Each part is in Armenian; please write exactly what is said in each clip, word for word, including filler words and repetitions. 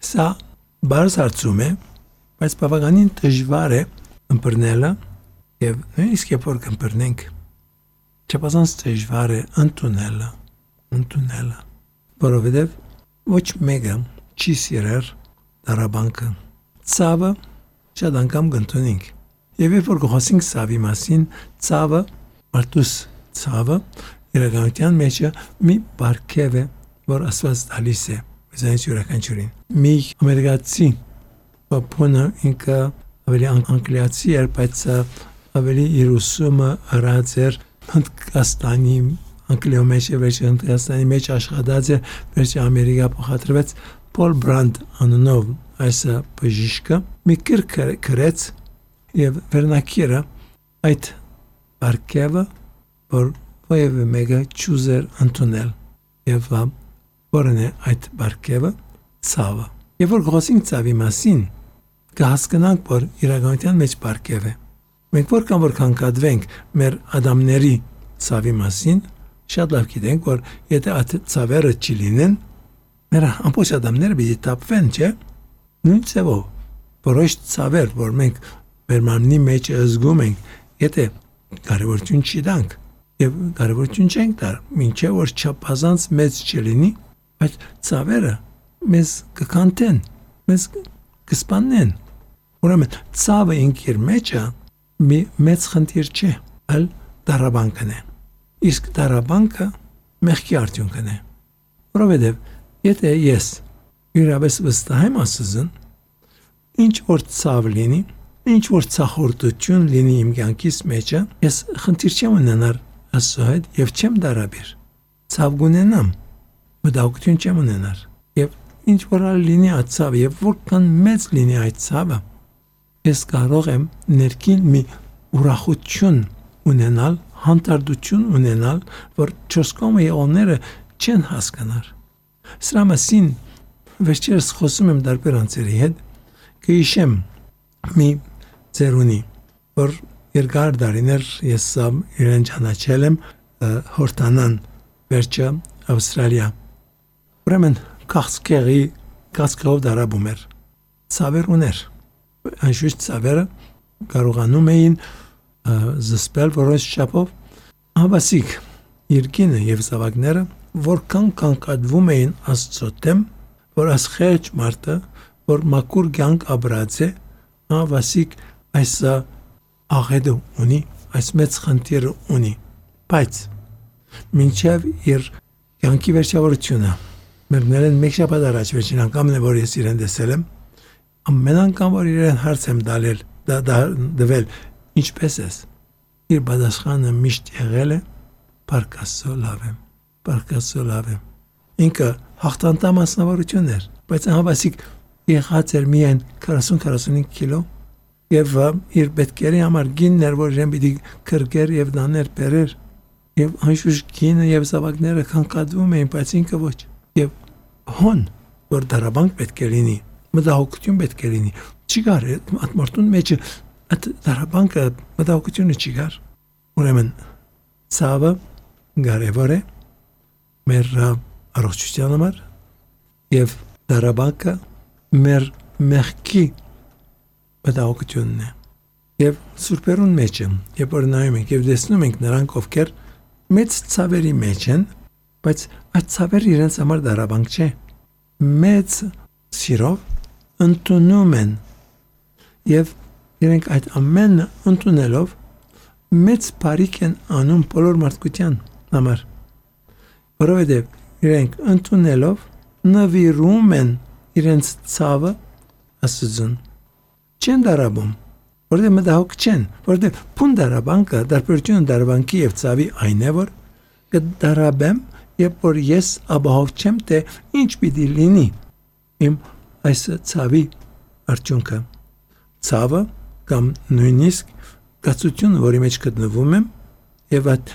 Սա բարձ հարցում է, բայց բավականին դժվար է ըմբռնելը եւ նույնիսկ երբ որ կըմբռնենք չափազանց դժվար է ընդունելը, ընդունելը, որովհետեւ ոչ մեկը չի սիրեր դարաբանքը։ Ցավը շատ անգամ կընդունենք։ Եվ երբ որ խոսենք ցավի մասին, ցավը, մարդուս ցավը իրականության մեջ մի բարգև է, որ Աստված տալիս է մեզանից յուրաքանչյուրին։ Մի ամերիկացի բապոնը ինքը ավելի անգլիացի էր, բայց ավելի իր ուսումը արած էր Հնդկաստանի Անգլիո մեջ եւ Հնդկաստանի մեջ աշխատած է, վերջի Ամերիկա փոխադրվեց Պոլ Բրանդ անունով այս բժիշկը մի գրք գրեց եւ վերնակիրը այդ բարգևը, որ ովևէ մեկը չուզեր ընդունել եւ որն է այդ բարգևը ցավը։ Եվ որ խոսենք ցավի մասին, կհասկանանք, որ իրականության մեջ բարգև է։ Մենք որքան որ կանգադվենք մեր ադամների ցավի մասին, շատ լավ գիտենք, որ եթե այդ ցավերը չլինեն, մեր ամբողջ ադամները պիտի տապվեն, չէ՞։ Նույն ցավով որոշ ցավեր, որ մենք մեր մարմնի մեջ զգում ենք, եթե կարևորություն չտանք եւ կարևորություն չենք տար, մինչեւ որ չափազանց մեծ չլինի, այդ ցավերը մեզ կկանտեն, մեզ կսպանեն։ Ուրեմն ցավը ինքիր մեջը մի մեծ խնդիր չէ, այլ դարաբանքն է։ Իսկ դարաբանքը մեղքի արդյունքն է։ Որովհետև եթե ես իրավես վստահ եմ Աստծուն, ինչ որ ցավ լինի, ինչ որ ցախորդություն լինի իմ կյանքիս մեջը, ես խնդիր չեմ ունենալ Աստծո հետ եւ չեմ դարաբեր։ Ցավ կունենամ, մտահոգություն չեմ ունենալ։ Եվ ինչ որ լինի այդ ցավը եւ որքան մեծ լինի այդ ցավը, ես կարող եմ ներքին մի ուրախություն ունենալ, հանդարտություն ունենալ, որ չորս կողմը եղողները չեն հասկանար։ Սրա մասին վերջերս խոսում եմ դարբեր անձերի հետ, կհիշեմ մի ծերունի, որ երկար դարիներ ես իրեն ճանաչել եմ հորտանան վերջը Ավստրալիա։ Ուրեմն քաղցկեղի քաղցկեղով դարաբում էր, ցավեր ուներ։ Անշուշտ ցավերը կարողանում էին զսպել որոշ չափով, հավասիկ երկինը եւ զավակները որքան կանգադվում էին Աստծո դեմ, որ ասխեջ մարդը, որ մաքուր կյանք ապրած է, հավասիկ այս աղետը ունի, այս մեծ խնդիրը ունի, բայց մինչև իր կյանքի վերջավորությունը, մերնել են մեկ շաբաթ առաջ վերջին անգամն է, որ ես իրեն տեսել եմ, ամեն անգամ, որ իրեն հարց եմ դալել, դա, դա, դվել, ինչպես ես, իր բադասխանը միշտ եղել է, Փառք Աստծո լավ եմ, Փառք Աստծո լավ եմ։ Ինքը հաղթանտամ մասնավորություն էր, բայց հավասիկ եղած էր միայն քառասուն-քառասունհինգ կիլո եւ իր պետքերի համար գինն էր, որ իրեն պիտի քրկեր եւ դաներ բերեր եւ անշուշտ գինը եւ զավակները կանգադվում էին, բայց ինքը ոչ։ Եվ հոն, որ դարաբանք պետք է լինի, մտահոգություն պետք է լինի, չկար այդ մարդուն մեջ այդ դարաբանքը մտահոգությունը չկար։ Ուրեմն ցավը կարևոր է մեր առողջության համար եւ դարաբանքը մեր մեղքի մտահոգությունն է։ Եվ սուրբերուն մեջ երբ որ նայում ենք եւ տեսնում ենք նրանք ովքեր մեծ ցավերի մեջ են, բայց այդ ցավերը իրենց համար դարաբանք չէ։ Մեծ սիրով ընդունում են եւ իրենք այդ ամենը ընդունելով մեծ բարիք են անում բոլոր մարդկության համար, որովհետև իրենք ընդունելով նվիրում են իրենց ցավը Աստծուն, չեն դարաբում, որովհետև մտահոգ չեն, որովհետև փուն դարաբանքը, դարբերությունը դարաբանքի եւ ցավի այն է, որ կդարաբեմ, երբ որ ես ապահով չեմ, թե ինչ պիտի լինի իմ այս ցավի արդյունքը։ Ցավը կամ նույնիսկ գացությունը, որի մեջ գտնվում եմ, եւ այդ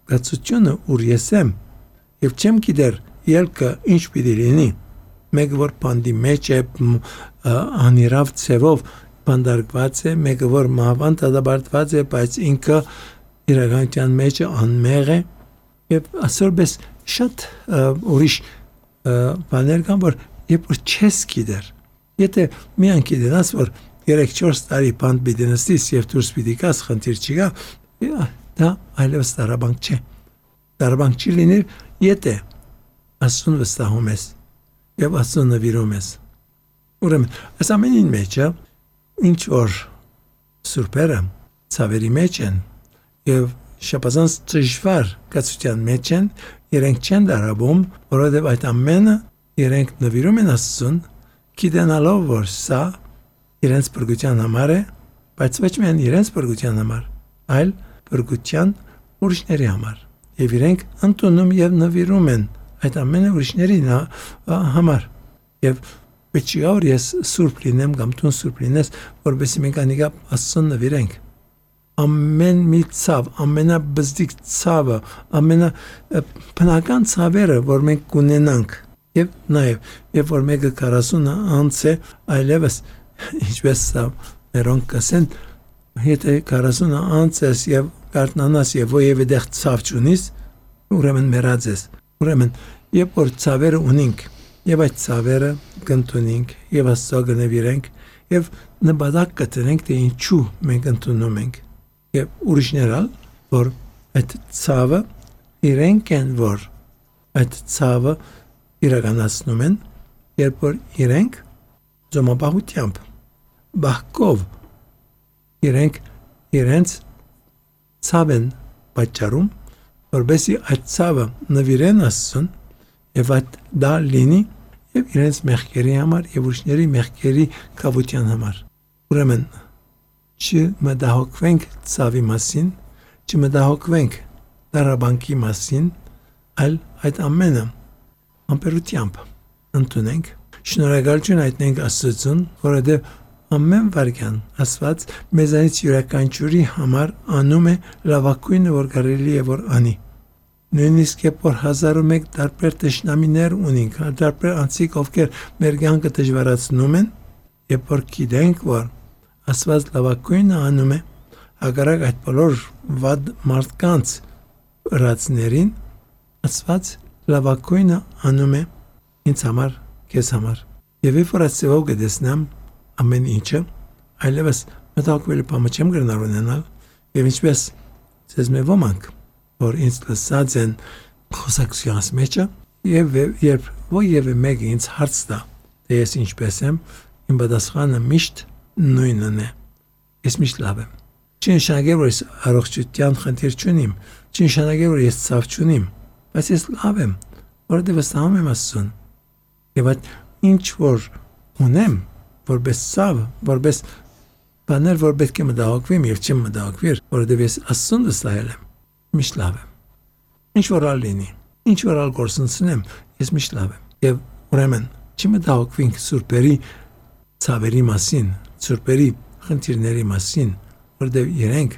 գացությունը, ուր ես եմ, եւ չեմ գիտեր ելքը ինչ պիտի լինի, մեկը որ բանդի մեջ է, անիրավ ցևով բանդարկված է, մեկը որ մահվան դադարված է, բայց ինքը իրականության մեջ անմեղ է, եւ ասորպես շատ ուրիշ բաներ կան, որ երբ որ չես գիտեր, Եթե միան գիտենաս, որ երեք չորս տարի բանտ պիտի նստիս եւ դուրս պիտի գաս, խնդիր չի գա, դա այլևս տարաբանք չէ։ Տարաբանք չի լինի, եթե Աստծուն վստահում ես եւ Աստծուն նվիրում ես։ Ուրեմն, այս ամենին մեջ է ինչ որ սուրբերը ցավերի մեջ են եւ շապազանց դժվար կացության մեջ են, իրենք չեն դարաբում, որովհետեւ այդ ամենը իրենք նվիրում են Աստծուն, գիտենալով որ սա իրենց բրգության համար է, բայց ոչ միայն իրենց բրգության համար, այլ բրգության ուրիշների համար։ Եվ իրենք ընդունում եւ նվիրում են այդ ամենը ուրիշների համար։ Եվ պետք չի որ ես սուրբ լինեմ կամ դու սուրբ լինես, որովհետեւ մենք անիկա Աստծուն նվիրենք։ Ամեն մի ցավ, ամենաբզդիկ ցավը, ամենա բնական ցավերը, որ մենք կունենանք, եւ նաեւ, երբ որ մեկը քառասուն անց է, այլևս ինչպես սա մերոնք կասեն, եթե քառասուն անց ես եւ կարտնանաս եւ ովևէ դեղ ցավ չունիս, ուրեմն մեռած ես։ Ուրեմն, երբ որ ցավերը ունենք, եւ այդ ցավերը կընդունենք եւ Աստծո կնվիրենք եւ նպատակ կտնենք, թե ինչու մենք ընդունում ենք։ Եվ ուրիշներալ, որ այդ ցավը իրենք են, որ այդ ցավը իրականացնում են, երբ որ իրենք զոմաբահությամբ, բահկով իրենք իրենց ցավ են պատճառում, որբեսի այդ ցավը նվիրեն Աստծուն եւ այդ դա լինի եւ իրենց մեղքերի համար եւ ուրիշների մեղքերի կավության համար։ Ուրեմն չմտահոգվենք ցավի մասին, չմտահոգվենք դարաբանկի մասին, այլ այդ ամենը ամպերությամբ ընդունենք, շնորհակալություն հայտնենք Աստծուն, որովհետև ամեն վարքյան Աստված մեզանից յուրաքանչյուրի համար անում է լավագույնը, որ կարելի է որ անի։ Նույնիսկ երբ որ հազար ու մեկ տարբեր տշնամիներ ունենք, տարբեր անձիկ, ովքեր մեր կյանքը դժվարացնում են, երբ որ գիտենք, որ Աստված լավագույնը անում է, հակառակ այդ բոլոր վատ մարդկանց ըրացներին, Աստված լավագույնը անում է ինձ համար, քեզ համար։ Եվ երբ որ Աստծո կտեսնեմ ամեն ինչը, այլևս մտահոգվելու բան չեմ գնալ ունենալ, եւ ինչպես ցեզ მე ոմանք, որ ինձ լսած են խոսակցությունս մեջը, եւ երբ ովևէ մեկը ինձ հարց տա, թե ես ինչպես եմ, իմ պատասխանը միշտ նույնն է։ Ես միշտ լավ եմ։ Չի նշանակել, որ ես առողջության խնդիր չունիմ, չի նշանակել, որ ես ցավ չունիմ, բայց ես լավ եմ, որովհետև վստահում եմ Աստծուն։ Եվ այդ ինչ որ ունեմ, որպես ցավ, որպես բաներ, որ պետք է մտահոգվեմ եւ չեմ մտահոգվիր, որովհետև ես Աստծուն վստահել եմ, միշտ լավ եմ։ Ինչ որ ալինի, ինչ որ ալ գործընծնեմ, ես միշտ լավ եմ։ Եվ ուրեմն չմտահոգվենք սուրբերի ցավերի մասին, սուրբերի խնդիրների մասին, որտեղ իրենք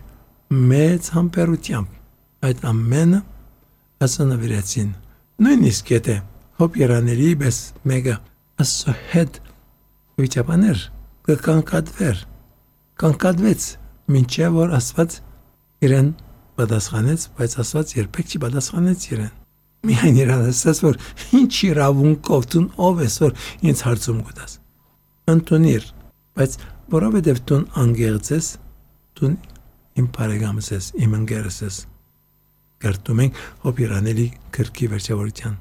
մեծ համբերությամբ այդ ամենը ասանավիրեցին։ Նույնիսկ եթե հոբ երաների պես մեկը Աստծո հետ վիճաբաներ կկանկատվեր, կանկատվեց, մինչև որ Աստված իրեն պատասխանեց, բայց Աստված երբեք չի պատասխանեց իրեն։ Միայն իրան ասաց, որ ինչ իրավունքով դու ով ես, որ ինձ հարցում գտաս։ Ընդունիր, բայց որովհետև դու անգեղծ ես, դու իմ բարեկամս ես, իմ ընկերս ես։ Կերտում ենք հոբ երանելի գրքի վերջավորության։